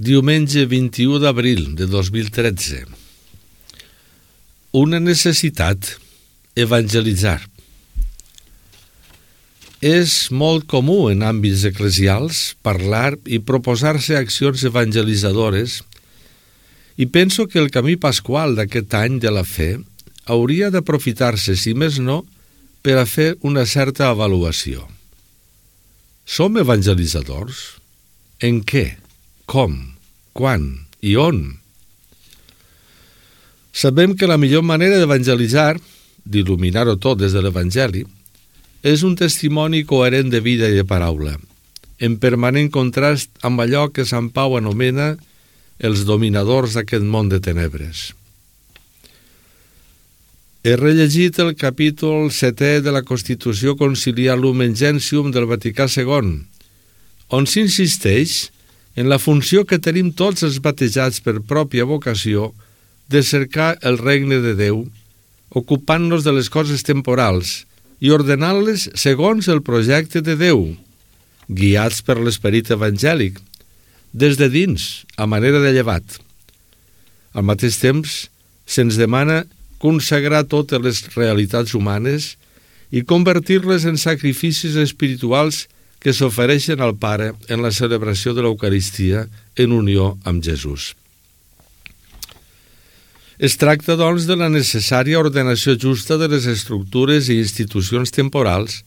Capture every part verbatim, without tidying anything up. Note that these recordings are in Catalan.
Diumenge vint-i-u d'abril de dos mil tretze. Una necessitat: evangelitzar. És molt comú en àmbits eclesials parlar i proposar-se accions evangelitzadores, i penso que el camí pasqual d'aquest any de la fe hauria d'aprofitar-se, si més no, per a fer una certa avaluació. Som evangelitzadors? En què? Com? Quan? I on? Sabem que la millor manera d'evangelitzar, d'il·luminar-ho tot des de l'Evangeli, és un testimoni coherent de vida i de paraula, en permanent contrast amb allò que Sant Pau anomena els dominadors d'aquest món de tenebres. He rellegit el capítol setè de la Constitució Conciliar Lumen Gentium del Vaticà segon, on s'insisteix en la funció que tenim tots els batejats per pròpia vocació de cercar el regne de Déu, ocupant-nos de les coses temporals i ordenant-les segons el projecte de Déu, guiats per l'esperit evangèlic, des de dins, a manera de llevat. Al mateix temps, se'ns demana consagrar totes les realitats humanes i convertir-les en sacrificis espirituals que s'ofereixen al Pare en la celebració de l'Eucaristia en unió amb Jesús. Es tracta, doncs, de la necessària ordenació justa de les estructures i institucions temporals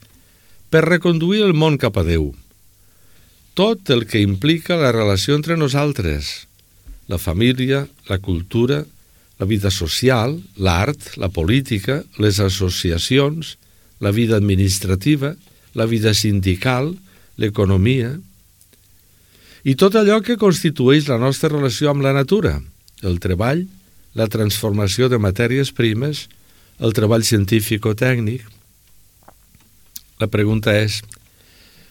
per reconduir el món cap a Déu. Tot el que implica la relació entre nosaltres, la família, la cultura, la vida social, l'art, la política, les associacions, la vida administrativa, la vida sindical, l'economia, i tot allò que constitueix la nostra relació amb la natura, el treball, la transformació de matèries primes, el treball científico-tècnic. La pregunta és: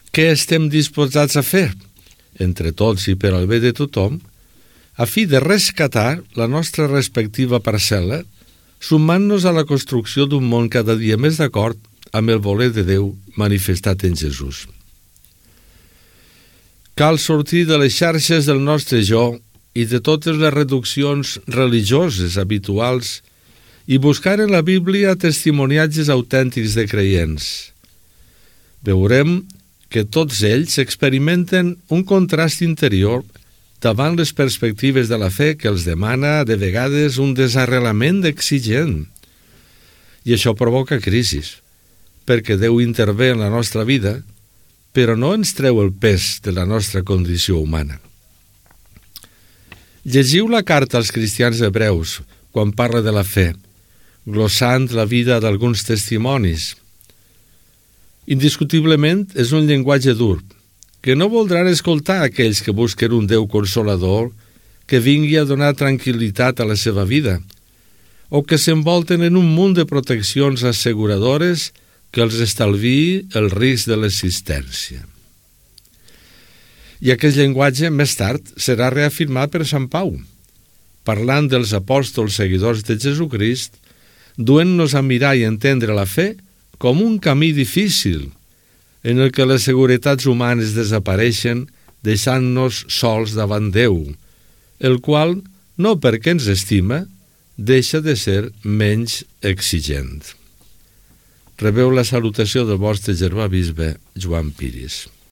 què estem disposats a fer, entre tots i per al bé de tothom, a fi de rescatar la nostra respectiva parcel·la, sumant-nos a la construcció d'un món cada dia més d'acord amb el voler de Déu manifestat en Jesús? Cal sortir de les xarxes del nostre jo i de totes les reduccions religioses habituals i buscar en la Bíblia testimoniatges autèntics de creients. Veurem que tots ells experimenten un contrast interior davant les perspectives de la fe que els demana de vegades un desarrelament exigent. I això provoca crisis, perquè Déu intervé en la nostra vida, però no ens treu el pes de la nostra condició humana. Llegiu la carta als cristians hebreus quan parla de la fe, glossant la vida d'alguns testimonis. Indiscutiblement és un llenguatge dur, que no voldran escoltar aquells que busquen un Déu consolador que vingui a donar tranquil·litat a la seva vida, o que s'envolten en un munt de proteccions asseguradores que els estalviï el risc de l'existència. I aquest llenguatge, més tard, serà reafirmat per Sant Pau, parlant dels apòstols seguidors de Jesucrist, duent-nos a mirar i entendre la fe com un camí difícil, en el que les seguretats humanes desapareixen, deixant-nos sols davant Déu, el qual, no perquè ens estima, deixa de ser menys exigent. Rebeu la salutació del vostre germà bisbe Joan Piris.